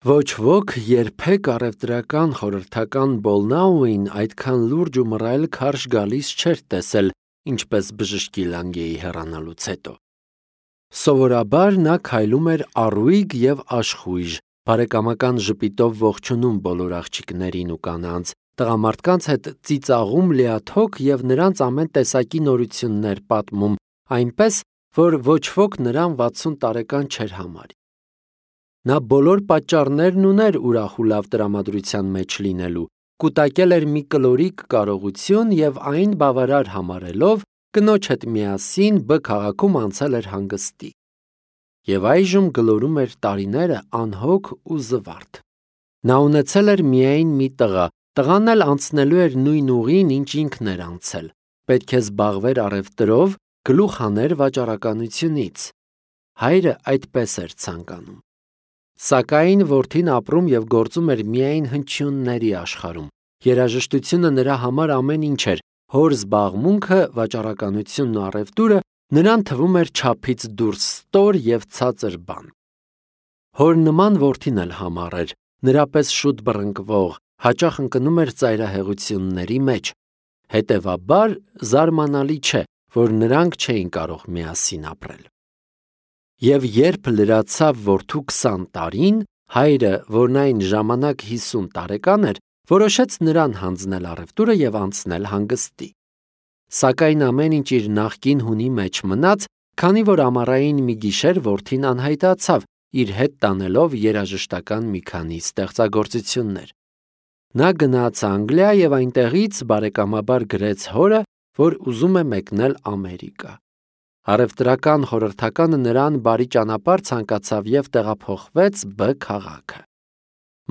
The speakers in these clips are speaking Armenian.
Ոչ ոք երբեք առևտրական խորհրդական Բոլնաուին այդքան լուրջ ու մռայլ քարշ գալիս չէր տեսել, ինչպես բժշկի Լանգեի հեռանալուց հետո։ Սովորաբար նա քայլում էր առույգ և աշխույժ, բարեկամական ժպիտով ողջունում բոլոր աղջիկներին ու կանանց, տղամարդկանց հետ ծիծաղում լիաթոք և նրանց ամեն տեսակի նորություններ պատմում, այնպես, որ ոչ ոք նրան 60 տարեկան չէր համարի։ Նա բոլոր պատճառներն ուներ ուրախ ու լավ տրամադրության մեջ լինելու, կուտակել էր մի կլորիկ կարողություն և այն բավարար համարելով, կնոջ հետ միասին Բ քաղաքում անցել էր հանգստի։ Եվ այժմ գլորում էր տարիները անհոգ ու զվարթ։ Նա ունեցել էր միայն մի տղա, տղան էլ անցնելու էր նույն ուղին, ինչ ինքն էր անցել, պետք է զբաղվեր առևտրով, գլուխ հաներ վաճառականությունից։ Հայրը այդպես էր ցանկանում։ Սակայն որդին ապրում և գործում էր միայն հնչյունների աշխարհում։ Երաժշտությունը նրա համար ամեն ինչ էր, հոր զբաղմունքը, վաճառականությունն ու առևտուրը նրան թվում էր չափից դուրս ստոր և ցածր բան։ Հոր նման որդին էլ համառ էր, նրա պես շուտ բռնկվող, հաճախ ընկնում էր ծայրահեղությունների մեջ։ Հետևաբար, զարմանալի չէ, որ նրանք չէին կարող միասին ապրել։ Եվ երբ լրացավ որդու 20 տարին, հայրը, որն այն ժամանակ 50 տարեկան էր, որոշեց նրան հանձնել առևտուրը և անցնել հանգստի։ Սակայն ամեն ինչ իր նախկին հունի մեջ մնաց, քանի որ ամառային մի գիշեր որդին անհայտացավ, իր հետ տանելով երաժշտական մի քանի ստեղծագործություններ։ Նա գնաց Անգլիա և այնտեղից բարեկամաբար գրեց հորը, որ ուզում է մեկնել Ամերիկա։ Առևտրական խորհրդականը նրան բարի ճանապարհ ցանկացավ և տեղափոխվեց Բ քաղաքը։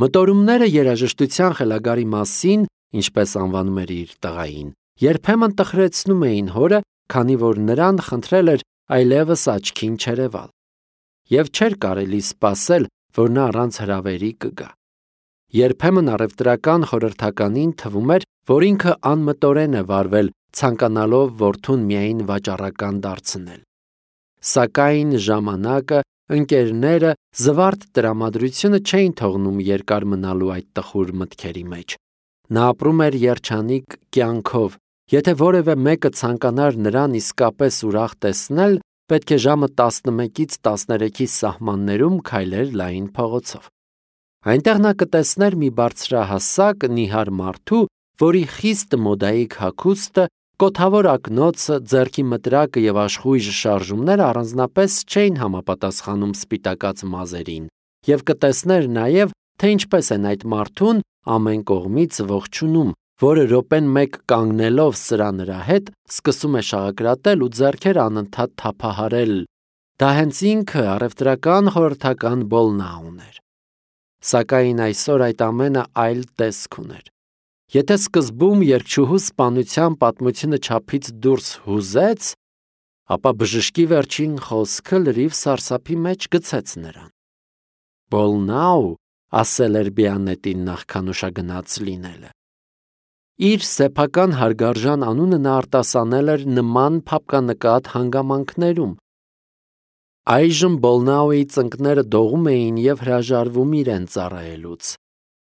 Մտորումները երաժշտության խելագարի մասին, ինչպես անվանում էր իր տղային, երբեմն տխրեցնում էին հորը, քանի որ նրան խնդրել էր այլևս աչքին չերևալ։ Եվ չէր կարելի սպասել, որ նա առանց հրավերի կգա։ Երբեմն առևտրական խորհրդականին թվում էր, որ ինքը անմտորեն է վարվել, ցանկանալով որդուն միայն վաճառական դարձնել։ Սակայն ժամանակը, ընկերները, զվարթ տրամադրությունը չէին թողնում երկար մնալու այդ տխուր մտքերի մեջ։ Նա ապրում էր երջանիկ կյանքով։ Եթե որևէ մեկը ցանկանար նրան իսկապես ուրախ տեսնել, պետք է ժամը 11-ից 13-ի սահմաններում քայլեր լայն փողոցով։ Այնտեղ նա կտեսներ մի բարձրահասակ, նիհար մարդու, որի խիստ մոդայիկ հագուստը, կոթավոր ակնոցը, ձեռքի մտրակը և աշխույժ շարժումները առանձնապես չէին համապատասխանում սպիտակած մազերին, և կտեսներ նաև, թե ինչպես են այդ մարդուն ամեն կողմից ողջունում, որը րոպեն մեկ կանգնելով սրա նրա հետ, սկսում է շաղակրատել ու ձեռքերը անընդհատ թափահարել։ Դա հենց ինքը առևտրական խորհրդական Բոլնաուն էր։ Սակայն այսօր այդ ամենը այլ տեսք ուներ։ Եթե սկզբում երգչուհու սպանության պատմությունը չափից դուրս հուզեց, ապա բժշկի վերջին խոսքը լրիվ սարսափի մեջ գցեց նրան։ Բոլնաու, ասել էր Բիանետին նախքան ուշագնաց լինելը։ Իր սեփական հարգարժան անունը նա արտասանել էր նման փափկանկատ հանգամանքներում։ Այժմ Բոլնաուի ծնկները դողում էին և հրաժարվում իրեն ծառայելուց։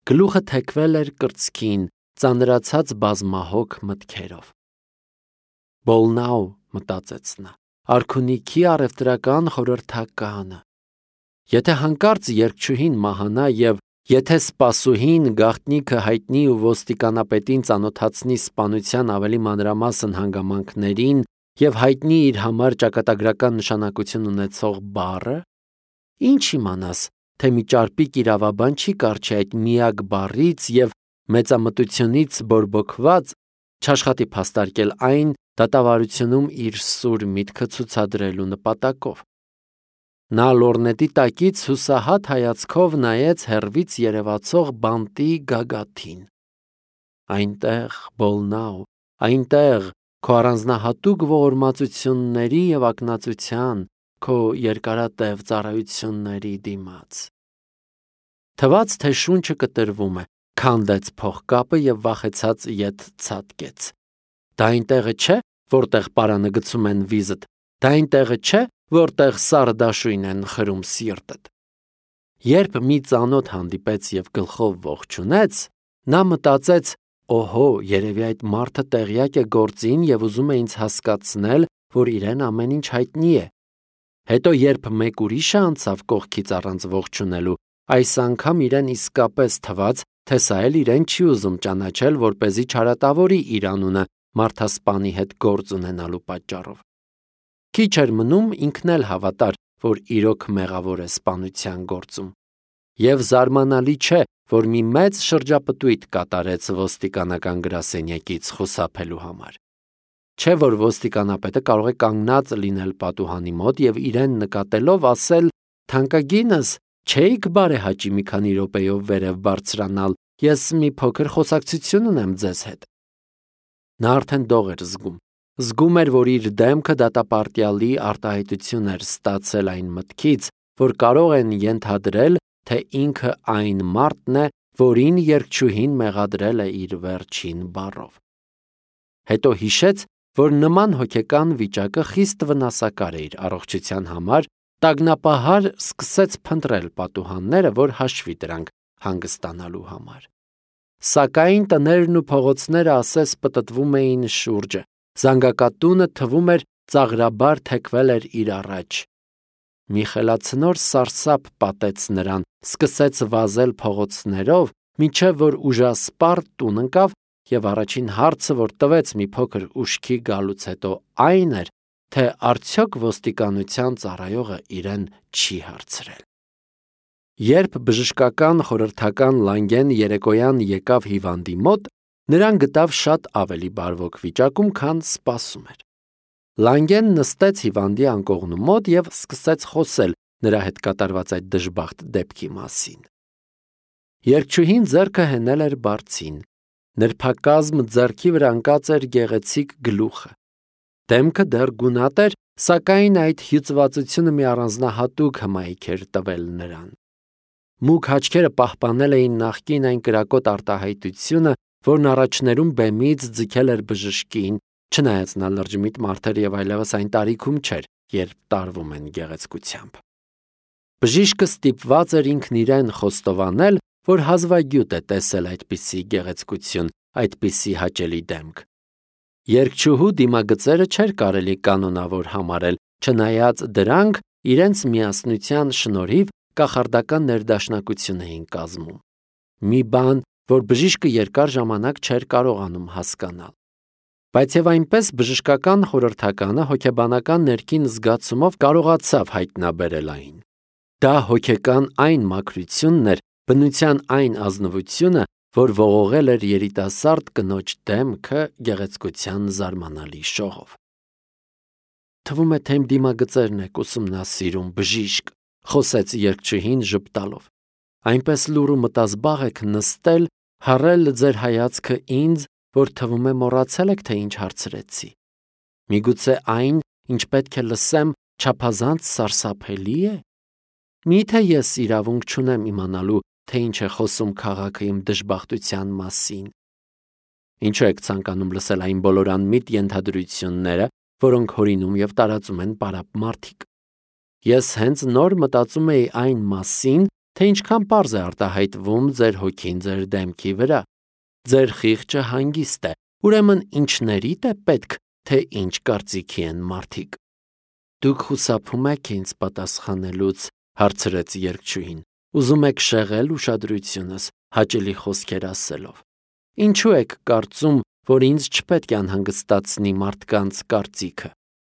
Գլուխը թեքվել էր կրծքին, ծանրացած բազմահոգ մտքերով։ Բոլնաու, մտածեց նա, արքունիքի առևտրական խորհրդականը։ Եթե հանկարծ երգչուհին մահանա և եթե սպասուհին գաղտնիքը հայտնի ու ոստիկանապետին ծանոթացնի սպանության ավելի մանրամասն հանգամանքներին և հայտնի իր համար ճակատագրական նշանակություն ունեցող բառը, ինչ իմանաս, թե մի ճարպիկ իրավաբան չի կառչի այդ միակ բառից և մեծամտությունից բորբոքված չաշխատի փաստարկել այն դատավարությունում իր սուր միտքը ցուցադրելու նպատակով։ Նա լորնետի տակից հուսահատ հայացքով նայեց հեռվից երևացող բանտի գագաթին։ Այնտեղ, Բոլնաու, այնտեղ, քո առանձնահատուկ ողորմածությունների և ակնածության, քո երկարատև ծառայությունների դիմաց։ Թվաց, թե շունչը կտրվում է, քանդեց փողկապը և վախեցած ետ ցատկեց։ Դա այնտեղը չէ, որտեղ պարանը գցում են վիզդ, դա այնտեղը չէ, որտեղ սառը դաշույն են խրում սիրտդ։ Երբ մի ծանոթ հանդիպեց և գլխով ողջունեց, նա մտածեց. «Օհո, երևի այդ մարդը տեղյակ է գործին և ուզում է ինձ հասկացնել, որ իրեն ամեն ինչ հայտնի է»։ Հետո երբ մեկ ուրիշը անցավ կողքից առանց ողջունելու, այս անգամ իրեն իսկապես թվաց, թե սա էլ իրեն չի ուզում ճանաչել, որպեսզի չարատավորի իր անունը մարդասպանի հետ գործ ունենալու պատճառով։ Քիչ էր մնում ինքն էլ հավատար, որ իրոք մեղավոր է սպանության գործում։ Եվ զարմանալի չէ, որ մի մեծ շրջապտույտ կատարեց ոստիկանական գրասենյակից խուսափելու համար։ Չէ՞ որ ոստիկանապետը կարող է կանգնած լինել պատուհանի մոտ և իրեն նկատելով ասել. «Թանկագինս, չէիք բարեհաճի մի քանի րոպեով վերև բարձրանալ, ես մի փոքր խոսակցություն ունեմ ձեզ հետ»։ Նա արդեն դող էր զգում։ Զգում էր, որ իր դեմքը դատապարտյալի արտահայտություն էր ստացել այն մտքից, որ կարող են ենթադրել, թե ինքը այն մարդն է, որին երգչուհին մեղադրել է իր վերջին բառով։ Հետո հիշեց, որ նման հոգեկան վիճակը խիստ վնասակար է իր առողջության համար, տագնապահար սկսեց փնտրել պատուհանները, որ հաշվի դրանք հանգստանալու համար։ Սակայն տներն ու փողոցները ասես պտտվում էին շուրջը, զանգակատունը թվում էր ծաղրաբար թեքվել էր իր առաջ։ Մի խելացնոր սարսափ պատեց նրան, սկսեց վազել փողոցներով, մինչև որ ուժասպառ տուն ընկավ, և առաջին հարցը, որ տվեց մի փոքր ուշքի գալուց հետո, այն էր, թե արդյոք ոստիկանության ծառայողը իրեն չի հարցրել։ Երբ բժշկական խորհրդական Լանգեն երեկոյան եկավ հիվանդի մոտ, նրան գտավ շատ ավելի բարվոք վիճակում, քան սպասում էր։ Լանգեն նստեց հիվանդի անկողնու մոտ և սկսեց խոսել նրա հետ կատարված այդ դժբախտ դեպքի մասին։ Երգչուհին ձեռքը հենել էր բարձին, նրբակազմ ձեռքի վրա ընկած էր գեղեցիկ գլուխը։ Դեմքը դեռ գունատ էր, սակայն այդ հյուծվածությունը մի առանձնահատուկ հմայք էր տվել նրան։ Մուգ աչքերը պահպանել էին նախկին այն կրակոտ արտահայտությունը, որն առաջներում բեմից ձգել էր բժշկին, չնայած նա լրջմիտ մարդ էր և այլևս այն տարիքում չէր, երբ տարվում են գեղեցկությամբ։ Բժիշկը ստիպված էր ինքն իրեն խոստովանել, որ հազվագյուտ է տեսել այդպիսի գեղեցկություն, այդպիսի հաճելի դեմք։ Երգչուհու դիմագծերը չէր կարելի կանոնավոր համարել, չնայած դրանք իրենց միասնության շնորհիվ կախարդական ներդաշնակություն էին կազմում։ Մի բան, որ բժիշկը երկար ժամանակ չէր կարողանում հասկանալ։ Բայց եւ այնպես բժշկական խորհրդականը հոգեբանական ներքին զգացումով կարողացավ հայտնաբերել այն։ Դա հոգեկան այն մաքրությունն էր, բնության այն ազնվությունը, որ ողողել էր երիտասարդ կնոջ դեմքը գեղեցկության զարմանալի շողով։ Թվում է, թե իմ դիմագծերն եք ուսումնասիրում, բժիշկ, խոսեց երգչուհին ժպտալով։ Այնպես լուռ ու մտազբաղ եք նստել, հառել ձեր հայացքը ինձ, որ թվում է մոռացել եք, թե ինչ հարցրեցի։ Միգուցե այն, ինչ պետք է լսեմ, չափազանց սարսափելի է։ Միթե ես իրավունք չունեմ իմանալու, թե ինչ է խոսում քաղաքը իմ դժբախտության մասին։ Ինչու եք ցանկանում լսել այն բոլոր անմիտ ենթադրությունները, որոնք հորինում և տարածում են պարապ մարդիկ։ Ես հենց նոր մտածում էի այն մասին, թե ինչքան պարզ է արտահայտվում ձեր հոգին ձեր դեմքի վրա։ Ձեր խիղճը հանգիստ է, ուրեմն ինչներիդ է պետք, թե ինչ կարծիքի են մարդիկ։ Դուք խուսափում եք ինձ պատասխանելուց, հարցրեց երգչուհին։ Ուզում եք շեղել ուշադրությունս հաճելի խոսքեր ասելով։ Ինչու եք կարծում, որ ինձ չպետք է անհանգստացնի մարդկանց կարծիքը։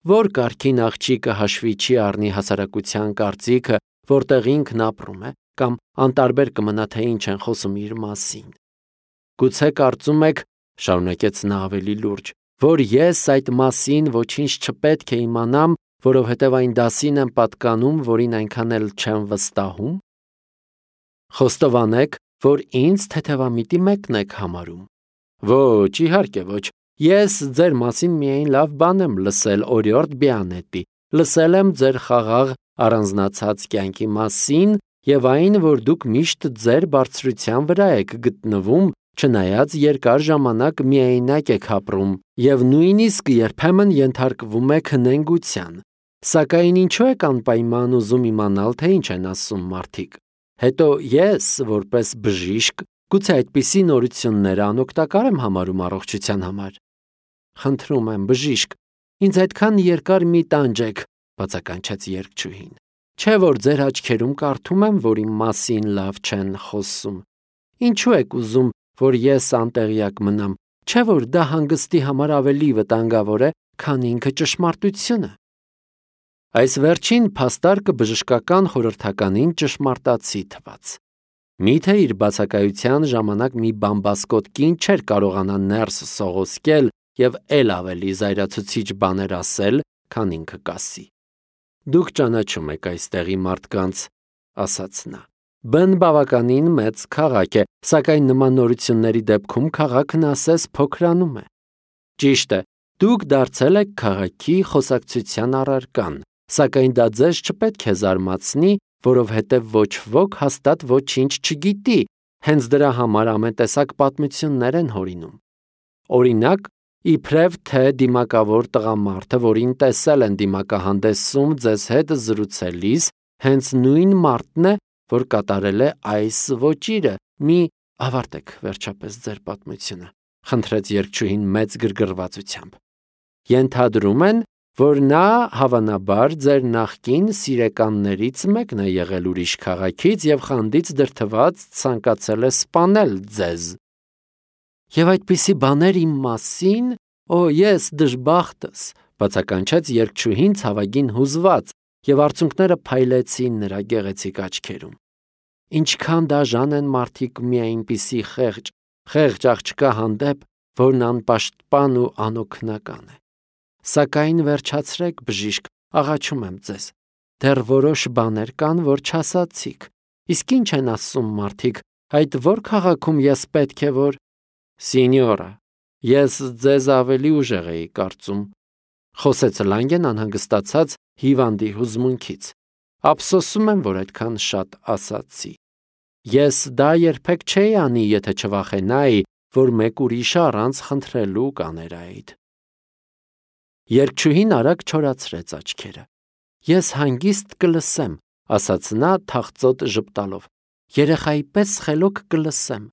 Որ կարգին աղջիկը հաշվի չի առնի հասարակության կարծիքը, որտեղ ինքն ապրում է, կամ անտարբեր կմնա, թե ինչ են խոսում իր մասին։ Գուցե կարծում եք, շարունակեց նա ավելի լուրջ, որ ես այդ մասին ոչինչ չպետք է իմանամ, որովհետև այն դասին եմ պատկանում, որին այնքան էլ չեմ վստահում։ Խոստովանեք, որ ինձ թեթևամիտի մեկն եք համարում։ Ոչ, իհարկե ոչ։ Ես ձեր մասին միայն լավ բան եմ լսել օրիորդ Բիանետի, լսել եմ ձեր խաղաղ առանձնացած կյանքի մասին և այն, որ դուք միշտ ձեր բարձրության վրա եք գտնվում, չնայած երկար ժամանակ միայնակ եք ապրում և նույնիսկ երբեմն ենթարկվում եք նենգության։ Սակայն ինչու եք անպայման ուզում իմանալ, թե ինչ են ասում մարդիկ։ Հետո ես, որպես բժիշկ, գուցե այդպիսի նորությունները անօգտակար եմ համարում առողջության համար։ Խնդրում եմ, բժիշկ, ինձ այդքան երկար մի տանջեք, բացականչեց երգչուհին։ Չէ՞ որ ձեր աչքերում կարդում եմ, որ իմ մասին լավ չեն խոսում։ Ինչու եք ուզում, որ ես անտեղյակ մնամ, չէ՞ որ դա հանգստի համար ավելի վտանգավոր է, քան ինքը ճշմարտությունը։ Այս վերջին փաստարկը բժշկական խորհրդականին ճշմարտացի թվաց։ Միթե իր բացակայության ժամանակ մի բամբասկոտ կին չէր կարողանա ներս սողոսկել և էլ ավելի զայրացուցիչ բաներ ասել, քան ինքը կասի։ Դուք ճանաչում եք այստեղի մարդկանց, ասաց նա։ Բն բավականին մեծ քաղաք է, սակայն նման նորությունների դեպքում քաղաքն ասես փոքրանում է։ Ճիշտ է, դուք դարձել եք քաղաքի խոսակցության առարկան, սակայն դա ձեզ չպետք է զարմացնի, որովհետև ոչ ոք հաստատ ոչինչ չգիտի, հենց դրա համար ամեն տեսակ պատմություններ են հորինում։ Օրինակ, իբրև թե դիմակավոր տղամարդը, որին տեսել են դիմակահանդեսում ձեզ հետ զրուցելիս, հենց նույն մարդն է, որ կատարել է այս ոճիրը, մի ավարտեք վերջապես ձեր պատմությունը, խնդրեց երգչուհին մեծ գրգռվածությամբ։ Ենթադրում են, որ նա հավանաբար ձեր նախկին սիրեկաններից մեկն է եղել ուրիշ քաղաքից և խանդից դրդված ցանկացել է սպանել ձեզ։ Եվ այդպիսի բաներ իմ մասին, ես դժբախտս, բացականչեց երգչուհին ցավագին հուզված, և արցունքները փայլեցին նրա գեղեցիկ աչքերում։ Ինչքան դաժան են մարդիկ մի այնպիսի խեղճ աղջկա հանդեպ, որն անպաշտպան ու անօգնական է։ Սակայն վերջացրեք, բժիշկ, աղաչում եմ ձեզ։ Դեռ որոշ բաներ կան, որ չասացիք։ Իսկ ինչ են ասում մարդիկ, այդ որ քաղաքում ես պետք է որ… Սինյորա, ես ձեզ ավելի ուժեղ էի կարծում, խոսեց Լանգեն անհանգստացած հիվանդի հուզմունքից։ Ափսոսում եմ, որ այդքան շատ ասացի։ Ես դա երբեք չէի անի, եթե չվախենայի, որ մեկ ուրիշը առանց խնդրելու կաներ այդ։ Երգչուհին արագ չորացրեց աչքերը։ Ես հանգիստ կլսեմ, ասաց նա թախծոտ ժպտալով։ Երեխայի պես խելոք կլսեմ։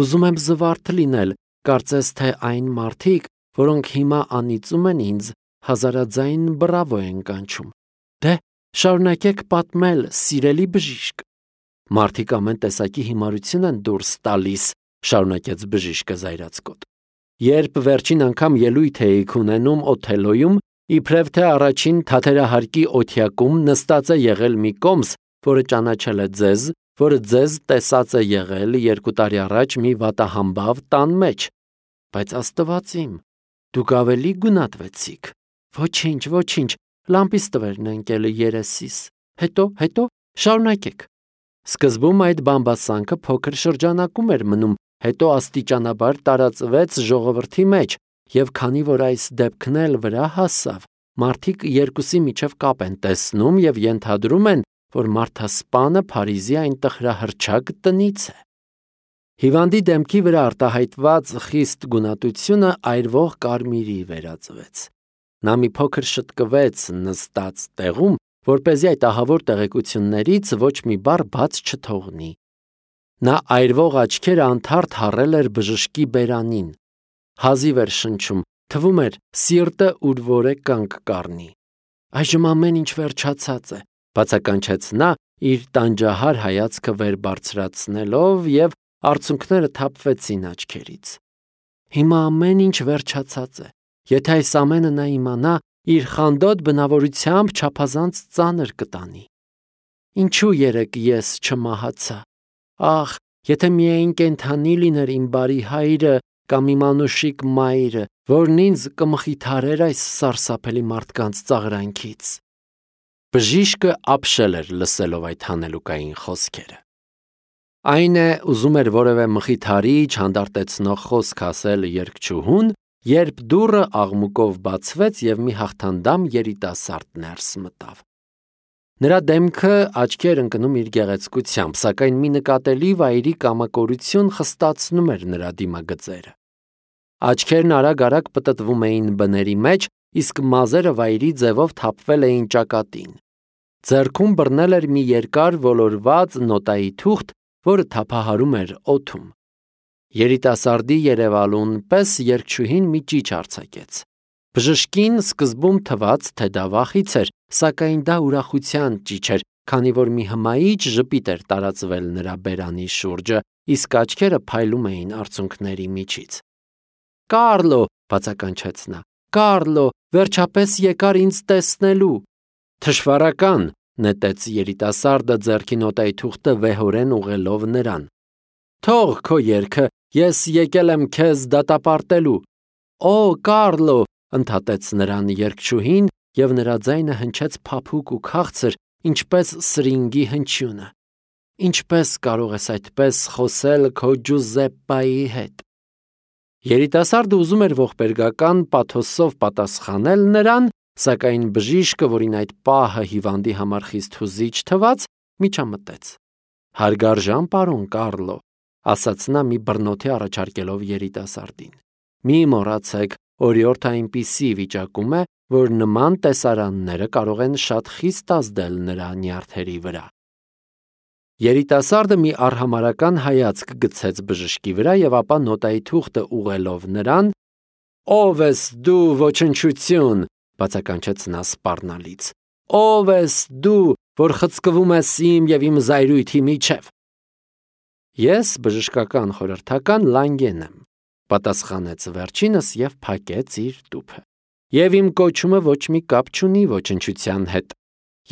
Ուզում եմ զվարթ լինել, կարծես թե այն մարդիկ, որոնք հիմա անիծում են ինձ, հազարաձայն բրավո են կանչում։ Դե, շարունակեք պատմել, սիրելի բժիշկ։ Մարդիկ ամեն տեսակի հիմարություն են դուրս տալիս, շարունակեց բժիշկը զայրացկոտ։ Երբ վերջին անգամ ելույթ էիք ունենում Օթելոյում, իբրև թե առաջին թաթերահարկի օթյակում նստած է եղել մի կոմս, որը ճանաչել է ձեզ, որը ձեզ տեսած է եղել 2 տարի առաջ մի վատահամբավ տան մեջ։ Բայց Աստված իմ, դուք ավելի գունատվեցիք։ Ոչինչ, լամպիս տվերն ընկել երեսիս։ Հետո, շարունակեք։ Սկզբում այդ բամբասանքը փոքր շրջանակում էր մնում, հետո աստիճանաբար տարածվեց ժողովրդի մեջ, և քանի որ այս դեպքն էլ վրա հասավ, մարդիկ երկուսի միջև կապ են տեսնում և ենթադրում են, որ մարդասպանը Փարիզի այն տխրահռչակ տնից է։ Հիվանդի դեմքի վրա արտահայտված խիստ գունատությունը այրվող կարմիրի վերածվեց։ Նա մի փոքր շտկվեց նստած տեղում, որպեսզի այդ ահավոր տեղեկություններից ոչ մի բառ բաց չթողնի։ Նա այրվող աչքերը անթարթ հառել էր բժշկի բերանին։ Հազիվ էր շնչում, թվում էր սիրտը ուր որ է կանգ կառնի։ Այժմ ամեն ինչ վերջացած է, բացականչեց նա, իր տանջահար հայացքը վեր բարձրացնելով, և արցունքները թափվեցին աչքերից։ Հիմա ամեն ինչ վերջացած է։ Եթե այս ամենը նա իմանա, իր խանդոտ բնավորությամբ չափազանց ծանր կտանի։ Ինչու երեկ ես չմահացա։ Ախ, եթե միայն կենդանի լիներ իմ բարի հայրը կամ իմ անուշիկ մայրը, որն ինձ կմխիթարեր այս սարսափելի մարդկանց ծաղրանքից։ Բժիշկը ապշել էր լսելով այդ հանելուկային խոսքերը։ Այն է, ուզում էր որևէ մխիթարիչ հանդարտեցնող խոսք ասել երգչուհուն, երբ դուռը աղմուկով բացվեց և մի հաղթանդամ երիտասարդ ներս մտավ։ Նրա դեմքը աչքի էր ընկնում իր գեղեցկությամբ, սակայն մի նկատելի վայրի կամակորություն խստացնում էր նրա դիմագծերը։ Աչքերն արագ պտտվում էին բների մեջ, իսկ մազերը վայրի ձևով թափվել էին ճակատին։ Ձեռքում բռնել էր մի երկար ոլորված նոտայի թուղթ, որը թափահարում էր օդում։ Երիտասարդի երևալուն պես երգչուհին մի ճիչ արձակեց։ Բժշկին սկզբում թվաց, թե դա վախից էր, սակայն դա ուրախության ճիչ էր, քանի որ մի հմայիչ ժպիտ էր տարածվել նրա բերանի շուրջը, իսկ աչքերը փայլում էին արցունքների միջից։ «Կարլո», բացականչեց նա, «Կարլո, վերջապես եկար ինձ տեսնելու»։ «Թշվառական», նետեց երիտասարդը ձեռքի նոտայի թուղթը վեհորեն ուղղելով նրան։ «Թող քո երգը, ես եկել եմ քեզ դատապարտելու»։ «Օ, Կարլո», ընդհատեց նրան երգչուհին, և նրա ձայնը հնչեց փափուկ ու քաղցր, ինչպես սրինգի հնչյունը։ «Ինչպես կարող ես այդպես խոսել քո Ջուզեպպայի հետ»։ Երիտասարդը ուզում էր ողբերգական պաթոսով պատասխանել նրան, սակայն բժիշկը, որին այդ պահը հիվանդի համար խիստ հուզիչ թվաց, միջամտեց։ «Հարգարժան պարոն Կարլո», ասաց նա մի բռնոթի առաջարկելով երիտասարդին, «մի մոռացեք, օրիորդը այնպիսի վիճակում է, որ նման տեսարանները կարող են շատ խիստ ազդել նրա նյարդերի վրա»։ Երիտասարդը մի արհամարհական հայացք գցեց բժշկի վրա և ապա նոտայի թուղթը ուղղելով նրան. «Ո՞վ ես դու, ոչնչություն», բացականչեց նա սպառնալից։ «Ո՞վ ես դու, որ խցկվում ես իմ և իմ զայրույթի միջև»։ «Ես բժշկական խորհրդական Լանգեն եմ», պատասխանեց վերջինս և փակեց իր տուփը։ «Եվ իմ կոչումը ոչ մի կապ չունի ոչնչության հետ։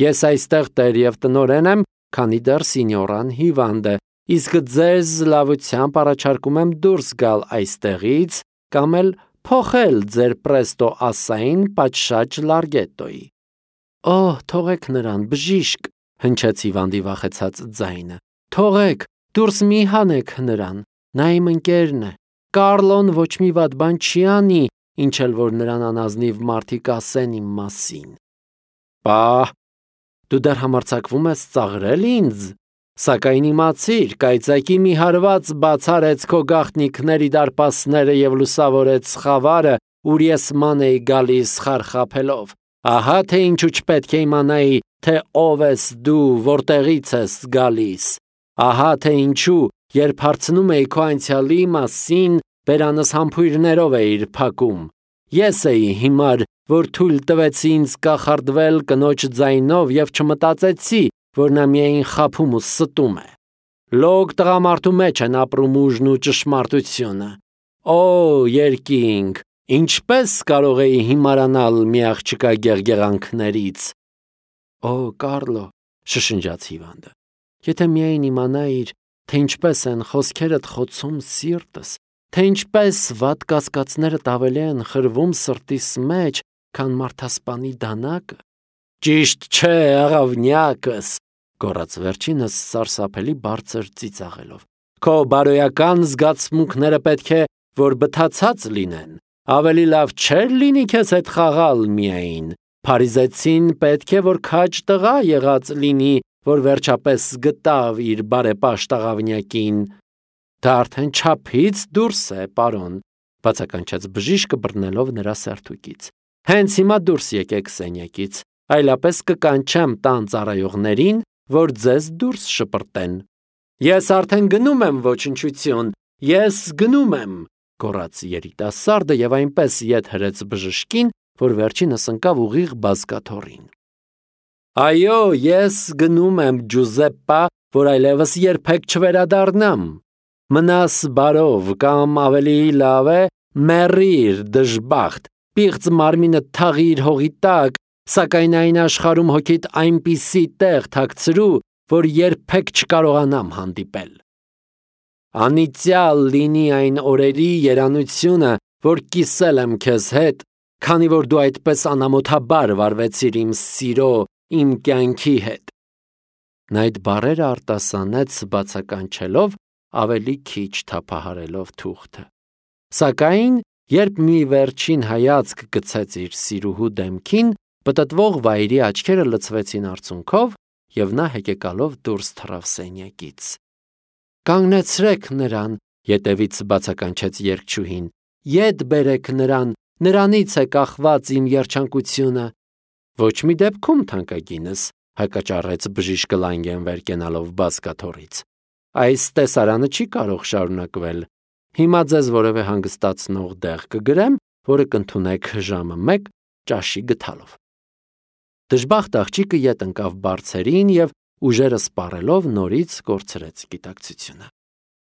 Ես այստեղ տեր և տնօրեն եմ, քանի դեռ սինյորան հիվանդ է, իսկ ձեզ լավությամբ առաջարկում եմ դուրս գալ այստեղից կամ էլ փոխել ձեր պրեստո ասային պատշաճ լարգետոյի»։ «Օ, թողեք նրան, բժիշկ», հնչեց հիվանդի վախեցած ձայնը։ «Թողեք, դուրս մի հանեք նրան, նա իմ ընկերն է։ Կարլոն ոչ մի վատ բան չի անի, ինչ էլ որ նրան անազնիվ մարդիկ ասեն իմ մասին»։ «Պահ, դու դեռ համարձակվում ես ծաղրել ինձ, սակայն իմացիր, կայծակի մի հարված բացարեց քո գաղտնիքների դարպասները և լուսավորեց խավարը, ուր ես ման էի գալիս խարխափելով։ Ահա թե ինչու չպետք է իմանայի, թե ով ես դու, որտեղից ես գալիս։ Ահա թե ինչու, երբ հարցնում էի քո անցյալի մասին, բերանս համբույրներով էիր փակում։ Ես էի հիմար, որ թույլ տվեցի ինձ կախարդվել կնոջ ձայնով և չմտածեցի, որ նա միայն խաբում ու ստում է։ Լոկ տղամարդու մեջ են ապրում ուժն ու ճշմարտությունը։ Օ, երկինք, ինչպես կարող էի հիմարանալ մի աղջկա գեղգեղանքներից։ Օ, Կարլո, շշնջաց հիվանդը, եթե միայն իմանայիր, թե ինչպես են խոսքերդ խոցում սիրտս, թե ինչպես վատ կասկածներդ ավելի են խրվում սրտիս մեջ, քան մարդասպանի դանակը։ Ճիշտ չէ, աղավնյակս, գոռաց վերջինս սարսափելի բարձր ծիծաղելով։ Քո բարոյական զգացմունքները պետք է, որ բթացած լինեն։ Ավելի լավ չէր լինի քեզ հետ խաղալ միայն։ Փարիզեցին պետք է, որ քաջ տղա եղած լինի, որ վերջապես գտավ իր բարեպաշտ աղավնյակին։ Դա արդեն չափից դուրս է, պարոն, բացականչեց բժիշկը բռնելով նրա սերթուկից։ Հենց հիմա դուրս եկեք սենյակից, այլապես կկանչեմ տան ծառայողներին, որ ձեզ դուրս շպրտեն։ Ես արդեն գնում եմ, ոչնչություն, ես գնում եմ, գոռաց երիտասարդը և այնպես ետ հրեց բժշկին, որ վերջինս ընկավ ուղիղ բազկաթոռին։ Այո, ես գնում եմ, Ջուզեպպա, որ այլևս երբեք չվերադառնամ։ Մնաս բարով, կամ ավելի լավ է, մեռիր, դժբախտ, պիղծ մարմինդ թաղիր հողի տակ, սակայն այն աշխարհում հոգիդ այնպիսի տեղ թաքցրու, որ երբեք չկարողանամ հանդիպել։ Անիծյալ լինի այն օրերի երանությունը, որ կիսել եմ քեզ հետ, քանի որ դու այդպես անամոթաբար վարվեցիր իմ սիրո, իմ կյանքի հետ։ Նա այդ բառերը արտասանեց բացականչելով, ավելի քիչ թափահարելով թուղթը։ Սակայն, երբ մի վերջին հայացք գցեց իր սիրուհու դեմքին, պտտվող վայրի աչքերը լցվեցին արցունքով, և նա հեկեկալով դուրս թռավ սենյակից։ Կանգնեցրեք նրան, ետևից բացականչեց երգչուհին, ետ բերեք նրան, նրանից է կախված իմ երջանկությունը։ Ոչ մի դեպքում, թանկագինս, հակաճառեց բժիշկը Լանգեն վեր կենալով բազկաթոռից։ Այս տեսարանը չի կարող շարունակվել։ Հիմա ձեզ որևէ հանգստացնող դեղ կգրեմ, որը կընդունեք ժամը 1 ճաշի գթալով։ Դժբախտ աղջիկը ետ ընկավ բարձերին եւ ուժերը սպառելով նորից կորցրեց գիտակցությունը։